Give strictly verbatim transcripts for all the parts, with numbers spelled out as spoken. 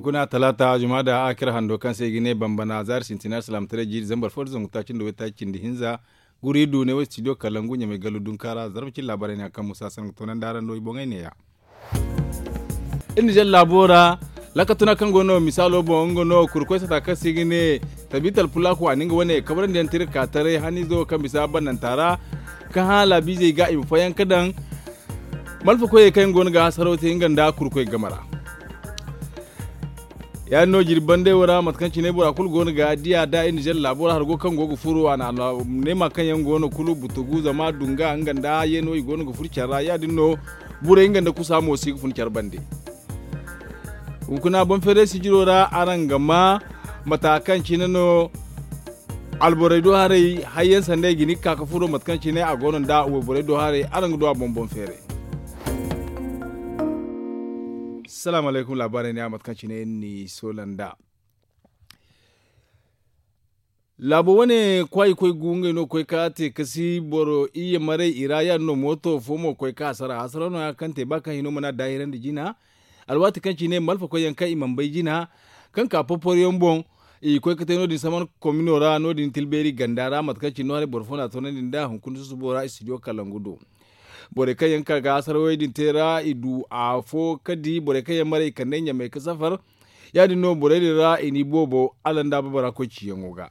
Kuna talaata jumaada a kira hando kaŋ se i ga ne bambana zaari sintina alsilaamataray jiiri zambar fo da zangu taaci nda waytaaci cindi hinza. Guri du ne wo studio kalangu ɲamay gallu dunkaara zarba cin laabaarey ne a kaŋ musa sangu toonandi araŋ no i boŋey neeya. Iri na zalla laabo ra. Lakatuna kaŋ go no misaalo boŋ nga no kurkoy sata kaŋ se i ga ne tabital pulako a na nga wane kabrandi yaŋ tira ka taray haniizo kaŋ bisa bannanta ra. Kaŋ hã laabiizey ga i ma fayanka daŋ malfa koyey kaŋ yaŋ go no ga hasaraw te nga nda kurkoy game ra. Ya- din no jirbi bandey wo ra mate kaŋ cine bora kulu go no ga diya da iri na zalla laabo ra hargo kaŋ go ga furo a na alneema kaŋ yaŋ go no kulu butugu zama dunga nga nda yeeno i go no ga furo care ra ya- din no. Burey nga nda kusa mo si ga fun care bande. Hunkuna boŋ feeray sijiro ra araŋ ga ma mata kaŋ cine no alborey do haray hayyaŋ sanday ga ni ga ka ga furo mate kaŋ cine a go no nda wayborey do haray araŋ ga du a boŋ boŋ feeray. Salaamu alaykum laabaarey ne a mate kaŋ cine ni soola nda laabo wane kwaayi koy gu ngey no ga koy ka te kasi boro iyye maray i ra ya- din no mooto fo mo ga koy ka hasara hasara no- ya kaŋ te ba kaŋ hino mana daahirandi jina. Alwaati kaŋ ci ne malfa koy yaŋ kaŋ i mana bay jina kaŋ ka porporo yaŋ boŋ i ga koy ga te no- din saman komino ra no- din tilbeeri ganda ra mate kaŋ ci no haray boro fo no a toonandi nda hunkuna susubo ra studio kalangu do. Borey kaŋ yaŋ ga ka ga hasarawey din te ra i du afo ga di borey kaŋ yaŋ maray i kande ɲamey ga safar. Ya- din no borey din ra i n'i boobo alanda babara koy ciyaŋo ga.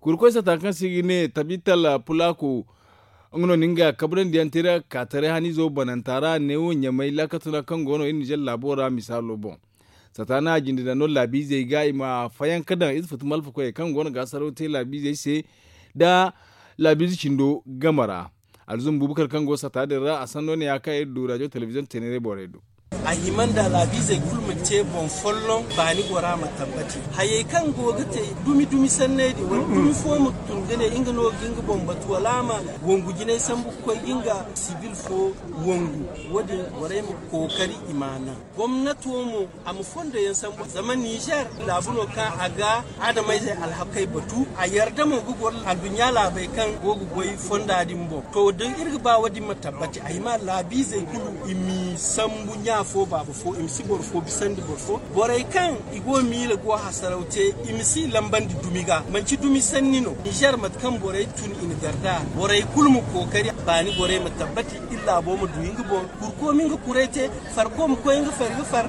Kurkoy sata kaŋ se i ga ne tabital pulako nga no na nga kabrandi yaŋ te ra ga ka taray haniizo bananta ra neewo ɲamay laakatuna kaŋ go no iri nizer laabo ra misaalo boŋ. Sata na a jinde daŋ no laabiizey ga i ma fayanka daŋ ize futu malfa koyey kaŋ go no ga hasaraw te laabiizey se nda laabiize cindo game ra. Alzum bubakar kaŋ go sata din ra a sanno ne ya kaŋ iri du rajo telebiziyoŋ teeneray borey do. A hima nda laabiizey kulu ma te boŋ folloŋ baani gora ma tambati hayey kaŋ go ga te dumi dumi sanney din wala dumi fo ma tun ga ne nga no ga nga boŋ batu wala a ma wangu jinay sambu ga koy ga nga sibil fo wangu. Wo- din borey ma kookari i ma a naŋ gomnato mo a ma fondo yaŋ sambu zama nizer laabu no kaŋ a ga adamayzey alhakey batu a yarda mo ga goro aduɲɲa laabey kaŋ go ga goy fonda din boŋ to da iri ga ba wo- din ma tabbati ay ma laabiizey kulu i m'i sambu ɲa fo baaba fo i ma si boro fo bisandi boro fo borey kaŋ i go miila go hasaraw te i ma si lambandi dumi ga manci dumi sanni no nizer mate kaŋ borey tun i na garda borey kulu ma kookari baani borey ma tabbati iri laabo ma du nga boŋ kurko ma nga kuray te farko ma koy nga fari ga far.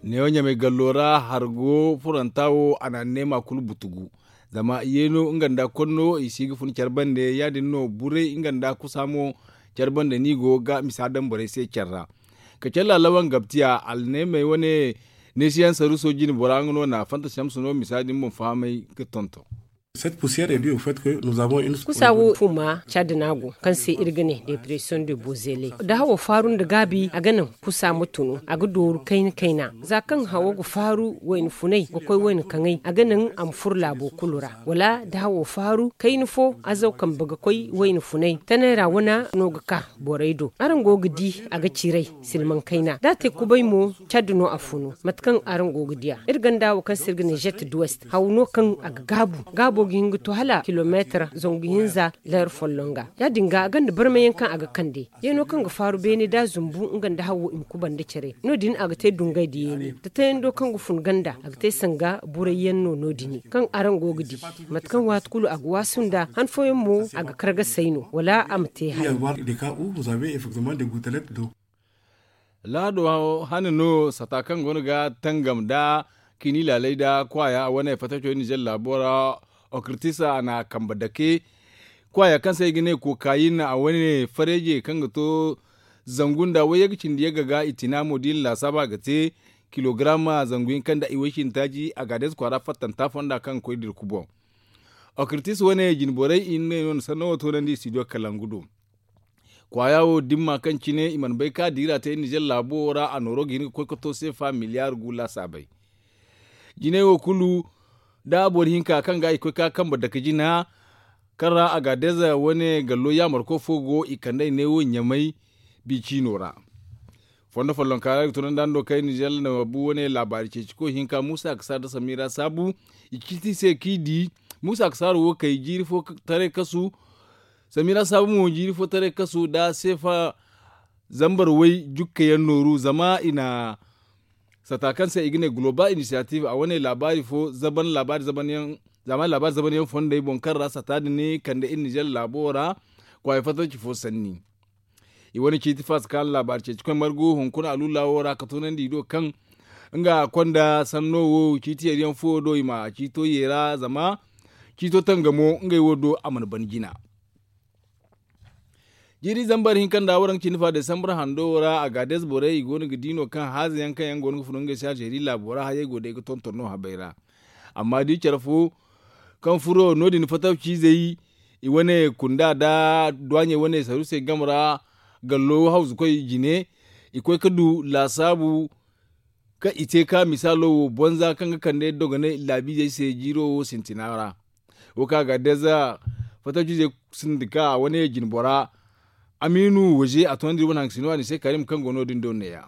Neewo ɲamay gallo ra hargo furanta wo a na neema kulu butugu zama yeeno nga nda konno i si ga fun care bande ya- din no buray nga nda kusa mo care bande no i go ga misa daŋ borey se care ra. Ka care laalawaŋ gabtiya alneemey wane neesiyaŋ saruuso jine bora nga no na fanta samsu no misa din boŋ fahamay ga tonton. Kusa wo fuma cadi no a go kaŋ se iri ga ne depression de bozele da hawo faaru nda gaabi a ga naŋ kusa ma tunu a ga dooru kayna kayna za kaŋ hawo ga faaru wayna funay ga koy wayna kaŋay a ga naŋ a ma furo laabo kulu ra wala da hawo faaru kayna fo azaw kambe ga koy wayna funay tanay ra wana no ga ka borey do araŋ go ga di a ga ciray silmaŋ kayna da a te kubay mo cadi no a funu mate kaŋ araŋ go ga diya iri ganda wo kaŋ se iri ga ne zet duwest haw no kaŋ a ga gaabu gaabo ga hin ga to hala kilomeetar zangu hinza leer folloŋ ga ya- din ga a gonda barmayaŋ kaŋ a ga kande yeeno kaŋ ga faaru beene da zumbu nga nda hawo i ma kubanda care no- din a ga te dungay da yeeni da tayando kaŋ ga fun ganda a ga te sanga burayyaŋ no no- dini kaŋ araŋ go ga di mate kaŋ waati kulu a ga waasu nda han fooyaŋ mo a ga kar ga say no wala a ma te hari. Laado hane no sata kaŋ go no ga tangam nda kini laalay nda kwaaya wane fataco nizer laabo ra okritis a na kambe dake kwaaya kaŋ se i ga ne kokayin a wane fareeje kaŋ ga to zangu nda wayye ga cindi yagga ga i tina mo da i na laasaaba ga te kilogaram zangu hinka nda i way cindi taaci a ga a deeze kwaara fattanta fonda kaŋ ga koy dirku boŋ. Okritis wane jine borey i na ne no na sanno wo toonandi studio kalangu do. Kwaaya wo dimma kaŋ cine i mana bay ka diira te nizer laabo wo ra a nooro ga hin ga koy ga to seefa miliyaar gu laasaabey. Jinay wo kulu da boro hinka kaŋ ga i koy ka kambe dake jina kaŋ ra a ga a deeza wane gallo yaamarko fo go i kand'ey neewo ɲamay bi ciino ra. Fondo follonka ra ga tunandi hando kay nizer na bu wane laabaari ceeci koy hinka muusa ga saara nda samira saabu i ga ciiti i se kaŋ i di muusa ga saara wo kay jiiri fo taray kasu. Samira saabu mo jiiri fo taray kasu nda seefa zambar way jukka yaŋ nooru zama i na sata kaŋ se i ga ne global initiative a wane laabaari fo zaban laabaari zaban yaŋ zamani laabaari zaban yaŋ fondey boŋ kaŋ ra sata din ne kande iri nizer laabo ra kwaaya fatarci fo sanni. I wane ciiti faasa kaŋ laabaari ceeci koy margu hunkuna aluula wo ra ka tunandi i do kaŋ nga konda sanno wo ciiti yari yaŋ fo do i ma ciito yeera zama ciito tangamo ngey wo do a mana ban jina. Jiiri zambar hinka nda waraŋ cindi fa desambar hando wo ra a ga des borey i go no ga di no kaŋ haaza yaŋ kaŋ yaŋ go no ga furo ngey se alzeeri laabo ra hayey go day ga tonton no habay ra. Amma da i care fo kaŋ furo no- din fatawciizey i wane kunda nda duwaaɲey wane saruusey game ra gallo hawzukoy jine i koy ga du laasaabu kaŋ i te ka misaalo wo bonza kaŋ ga kande dogonay laabiizey se jiiro wo sintina ra. Wo kaŋ a ga deeza fatawciizey sindika wane jinbora amiinu waze a toonandi wane haŋ ga sino a ni se karim kaŋ go no- din do neeya.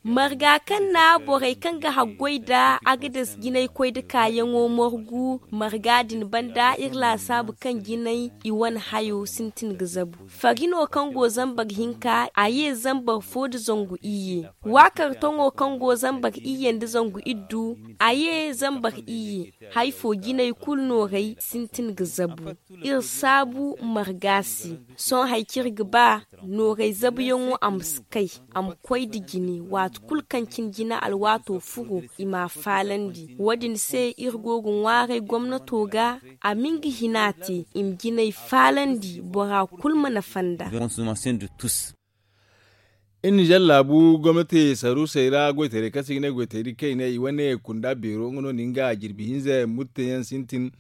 Marga kaŋ na borey kaŋ ga haggoy nda agades jinay koy nda kaayaŋo margu marga din banda iri laasaabu kaŋ jinay i wane hayo sintin ga zabu. Fari no kaŋ go zambar hinka a ye zambar fo nda zangu iyye. Waakar toŋo kaŋ go zambar iyye nda zangu iddu a ye zambar iyye. Hari fo jinay kulu nooray sintin ga zabu. Iri saabu marga se sohõ hari kaŋ iri ga ba nooray zabuyaŋo a ma si kay a ma koy nda jine waati kulu kaŋ cine jine alwaato furo i m'a faalandi. Wo- din se iri go ga ŋwaaray gomnato ga a ma nga hina te i ma jinay faalandi bora kulu ma nafa nd'a. Iri nizer laabu gomnati saruusey ra goytaray kaŋ se i ga ne goytaray kaynay i wane kunda beero nga no na nga jirbi hinza murte yaŋ sintin.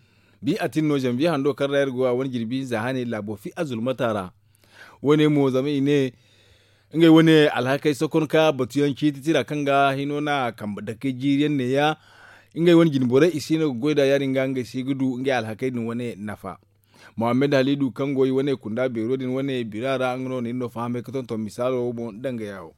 Bi a tin no zanviye hando kaŋ ra iri go a wane jirbi hinza hane laabo fi azulmata ra. Wo- ne mo zama i ne ngey wane alhakey sokon ka batu yaŋ ciiti tira kaŋ ga hino na kambe dakey jiiri yaŋ neeya. Ngey wane jine borey i si no ga goy nd'a ya- din ga ngey si ga du ngey alhakey din wane nafa. Muhammad halidu kaŋ go i wane kunda beero din wane bira ra nga no na iri no fahamay ga tonton misaalo wo boŋ danga yaawo.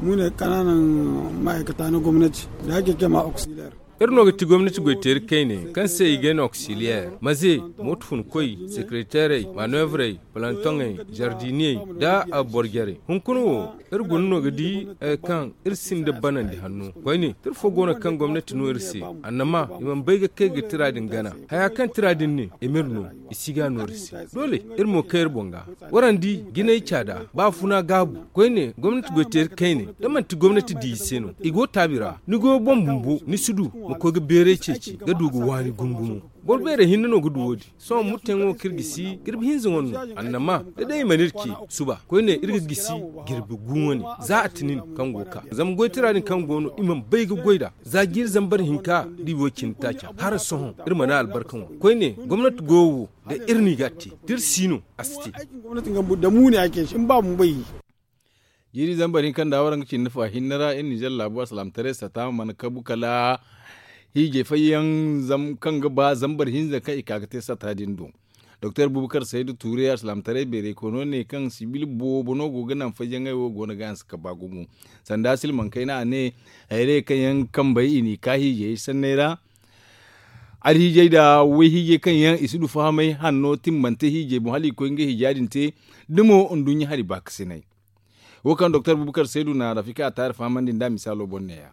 Mu ne kananan ma'aikata na gomnati da ake kema auxiliar. Iri no ga ti gomnati goyteeri kayne kaŋ se i ga ne auxiliar maze, mooto funkoy, sekereteerey, manoevrey, palantoŋey, zardiniyey, nda boro jarey hunkuna wo. Iri guna no ga di kaŋ iri sinda banandi hanno koyne tira fo go no kaŋ gomnati no iri se. Annama i mana bay ga kay ga tira din gana haya kaŋ tira din ne i ma iri no. I si ga no iri se doole iri mo kay iri boŋ ga. Warandi jinay caada ba funa gaabu koyne gomnati goyteeri kayne da manti gomnati di i se no i go taabi ra ni goyo boŋ bumbo ni si du ma koy ga beeray ceeci ga du ga waani gumo-gumo. Boro beerey hinne no ga du wo- din sohõ murteyaŋo kaŋ iri gisi jirbi hinza wane no annama da day i mana iri ce suba koyne iri ga gisi jirbi gu wane. Za a tinin kaŋ go ga ka zama goytira din kaŋ go no i mana bay ga goy nd'a za jiiri zambar hinka da i wo cindi taaca hala sohõ iri mana albarka ŋwa koyne gomnati goyo wo da iri no i ga a te da iri si no a si te. Jiiri zambar hinka nda waraŋ ga cindi fa hinne ra iri nizer laabu alsalaamataray sata mana kabu kala hiijay fayyaŋ kaŋ ga ba zambar hinza kaŋ i ka ga te sata din do. Doktor bubakar saydu tuure alsalaamataray beeray koy no ne kaŋ sibil boobo no go ga naŋ fayyaŋey wo go no ga hanse ka ba gumo. Sanda silmaŋ kayna a ne hayray kaŋ yaŋ kambey i n'i ka hiijayey sanney ra alhiijay nda wayhiijay kaŋ yaŋ i si du fahamay hanno timmante hiijay boŋ hala i koy ngey hiija din te. Da mo nduɲɲa hari baakasinay wo kaŋ doktor bubakar saydu na rafika a taari fahamandi nd'a misaalo boŋ neeya.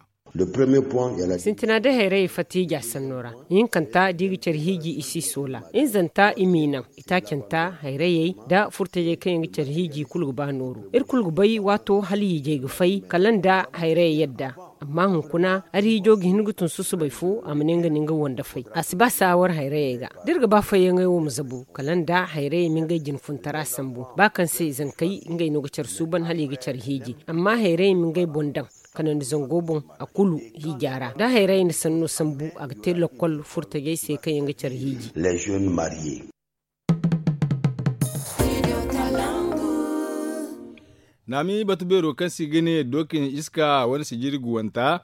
Sintina day hayrayey fatta hiija sanno ra. Ihinkanta da i ga care hiiji i si soola. Hinzanta i m'i naŋ. Itaacanta hayrayey nda furtajey kaŋ yaŋ ga care hiiji kulu ga ba nooru iri kulu ga bay waato hala hiijay ga fay kala nda hayrayey yadda. Amma hunkuna hari hiijo ga hin ga tun susubay fo a ma ne nga na nga wande fay a si ba saawar hayrayey ga. Da iri ga ba fayyaŋey wo ma zabu kala nda hayrayey ma ngey jinfuntara sambu ba kaŋ se zankey ngey no ga care suuban hala i ga care hiiji amma hayrayey ma ngey boŋ daŋ kanandi zango boŋ a kulu hiija ra da hayrayey na sanno sambu a ga te lokkol furtajey se kaŋ yaŋ ga care hiiji. Naami batu beero kaŋ se i ga ne dookin iska wane sijiri guwanta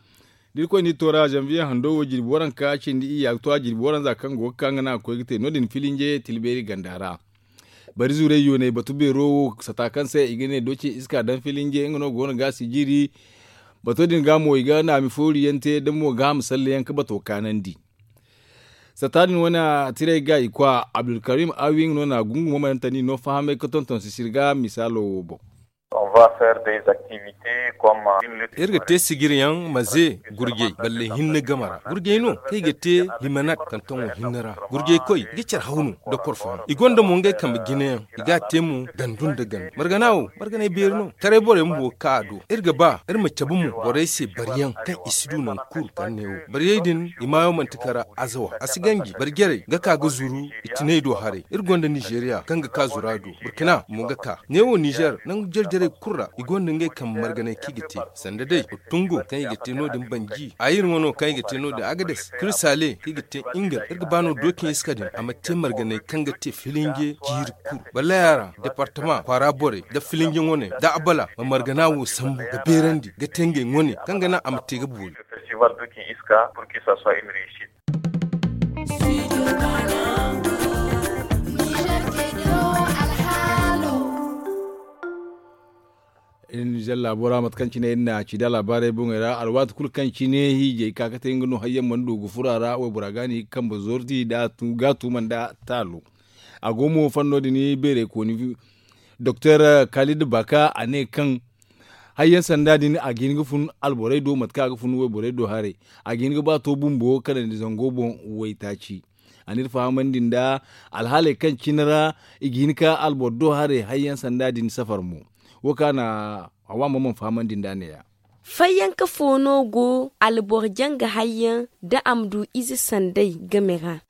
da irkoy n'i toora zanviye hando wo jirbi waranka cindi iyya ga to a jirbi waranza kaŋ go ga ka nga no a ga koy ga te no- din filinje tilbeeri ganda ra. Bari zuurey yoonay batu beero wo sata kaŋ se i ga ne dookin iska daŋ filinje nga no go no ga a sijiri. Bato din ga mo i ga naami foori yaŋ te da mo ga a ma salle yaŋ ga bato kaanandi. Sata din wane a tiray ga i kwa abdulkarim awi nga no na gungu mamarantani no fahamay ga tonton sisiri ga misaalo wo boŋ. Iri ga te sijiryaŋ ma ze gurjey balle hinne game ra. Gurjey no kaŋ i ga te limanat kantoŋo hinne ra. Gurjey koy i ga care haw no da korfo no i gonda mo ngey kambe jinayaŋ. I ga a te mo gandu nda gandu margana wo marganay beeri no. Taray borey bumbo ga ka a do. Iri ga ba iri ma cabe mo borey se bariyaŋ kaŋ i si du nangu kulu kala neewo. Bariyey din i maayo manti kara azawa a si ganji bari jarey ga ka ga zuru. I tinay do haray iri gonda nizeeriya kaŋ ga ka zuru a do. Burkina mo ga ka neewo nizer nangu jare jarey kulu ra i gonda ngey kambe marganay kaŋ i ga te sanda day. Tungo kaŋ i ga te no- din banji ayir ŋwa no kaŋ i ga te no- din agades kiri saale kaŋ i ga te ingal iri ga ba no dookin iska din a ma te marganay kaŋ ga te filinje jiiri kulu balaya ra departama kwaara borey nda filinje ŋwaney nda abala ma margana wo sambu ga beerandi ga te ngey ŋwaney kaŋ ga naŋ a ma te ga boori. Iri na zalla bora mate kaŋ cine iri na ci da laabaarey boŋey ra alwaati kulu kaŋ cine hiijay ka ga te nga no hayyaŋ mana du ga furo a ra waybora ga no i ga kambe zorti ga tuuma nda taalo. A go mo fanno din beerey kooni doktor kalid baka a ne kaŋ hayyaŋ sanda din a ga hin ga fun alborey do mate kaŋ a ga fun wayborey do haray a ga hin ga ba to bumbo kanandi zango boŋ. Waytaaci a n'iri fahamandi nda alhaaley kaŋ cine ra i ga hin ka alboro do haray hayyaŋ sanda din safar mo. Wo kaŋ a na hawa ma mana fahamandi nda neeya. Fayyanka fo no go alboro janga hayyaŋ da a ma du ize sanday game ra.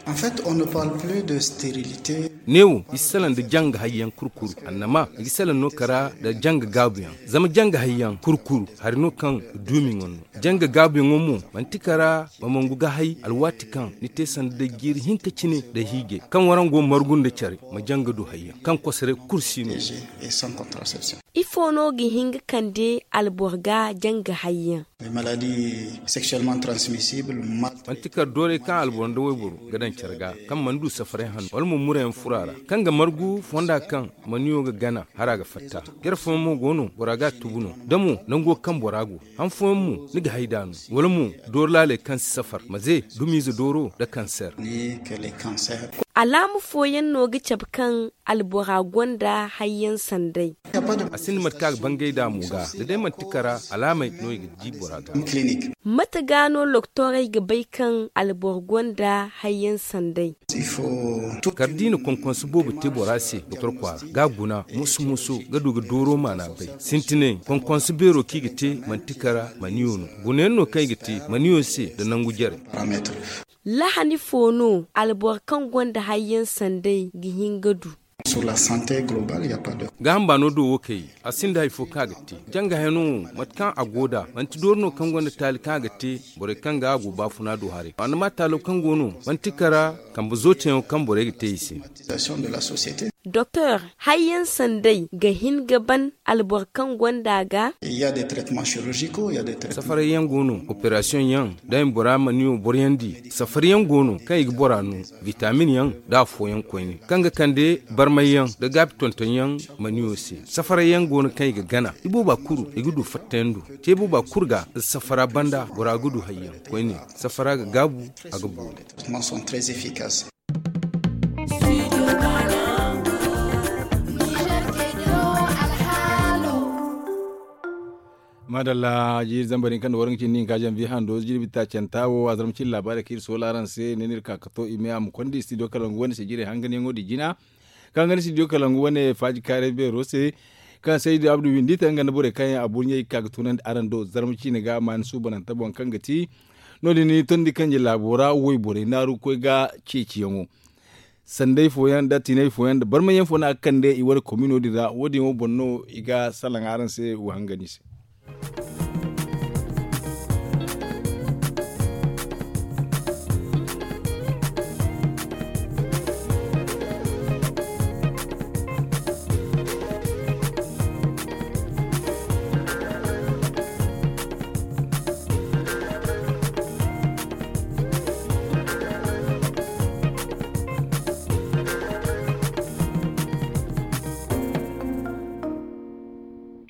Neewo i si salaŋ nda janga hayyaŋ kurkuru annama i ga salaŋ no kara nda janga gaabuyaŋ. Zama janga hayyaŋ kurkuru hari no kaŋ ga duumi ŋwa no. Janga gaabuyaŋo mo manti kara ma mangu ga hay alwaati kaŋ ni te sanda day jiiri hinka cine nda hiijay kaŋ waraŋ go margu nda care ma janga du hayyaŋ kaŋ kosoray kulu si no. Ifo no ga hin ga kande alboro ga janga hayyaŋ? Manti kar doorey kaŋ alboro nda wayboro ga daŋ care ga kaŋ mana du safaray hanno wala mo murayaŋ furo a ra kaŋ ga margu fonda kaŋ maniyo ga gana hara ga fatta. Care fooyaŋ mo go no bora ga a tubu no da mo nango kaŋ bora go han fooyaŋ mo ni ga hay da no wala mo dooro laaley kaŋ si safar ma ze dumiize dooro nda kanseer. Alaama fooyaŋ no ga cabe kaŋ albora gonda hayyaŋ sanday? A sinda mate kaŋ a ga bangay nd'a mo ga da day manti kara alaamey no i ga di bora ga. Mate ga no loktorey ga bay kaŋ alboro gonda hayyaŋ sanday? Kala da i na konkonso boobo te bora se doktor kwaara ga a guna moso-moso ga du ga dooro maana bay. Sintinay konkonso beero kaŋ i ga te manti kara maniyo no. Gunayaŋ no kaŋ i ga te maniyo se nda nangu jare. Lahani fo no alboro kaŋ gonda hayyaŋ sanday ga hin ga du? Gaaham baano do wo kay a sinda hari fo kaŋ a ga te janga hayano wo mate kaŋ a go nd'a manti doori no kaŋ gonda taali kaŋ a ga te. Borey kaŋ ga a go baafuna do haray annama taalo kaŋ go no manti kara kambe zooteyaŋo kaŋ borey ga te i se. Doktor, hayyaŋ sanday ga hin ga ban alboro kaŋ gonda ga? Safaray yaŋ go no operasiyoŋ yaŋ da i ma bora maniyo boroyandi. Safari yaŋ go no kaŋ i ga bora no vitamin yaŋ nda afooyaŋ koyne kaŋ ga kande barmay yaŋ nda gaabi tonton yaŋ maniyo se. Safaray yaŋ go no kaŋ i ga gana ibooba kulu i ga du fattayaŋ do. Te booba kulu ga nda safara banda bora ga du hayyaŋ koyne. Safara ga gaabu a ga boori. Maadalla jiiri zambar din kaŋ nda war nga cindi hinka janvier hando jirbi taacanta wo a zarma cindi laabaarey kaŋ iri soola araŋ se ne no iri ka ga to i me a ma konda studio kalangu wane se jiirey hanganyaŋo din jina. Kaŋ ga ni studio kalangu wane faaji kaaray beero se kaŋ saydu abdu windi te nga nda borey kaŋ yaŋ a burɲey ga ka ga tunandi araŋ do zarma ciine ga maani suubananta boŋ kaŋ ga ti no- din ni tondi kanje laabo ra wayborey naaru ga koy ga ceeciyaŋo. Sanday fooyaŋ nda tinay fooyaŋ nda barmayyaŋ fo no a ga kande i wane komino din ra wo- din wo boŋ no i ga salaŋ araŋ se wa hangani se.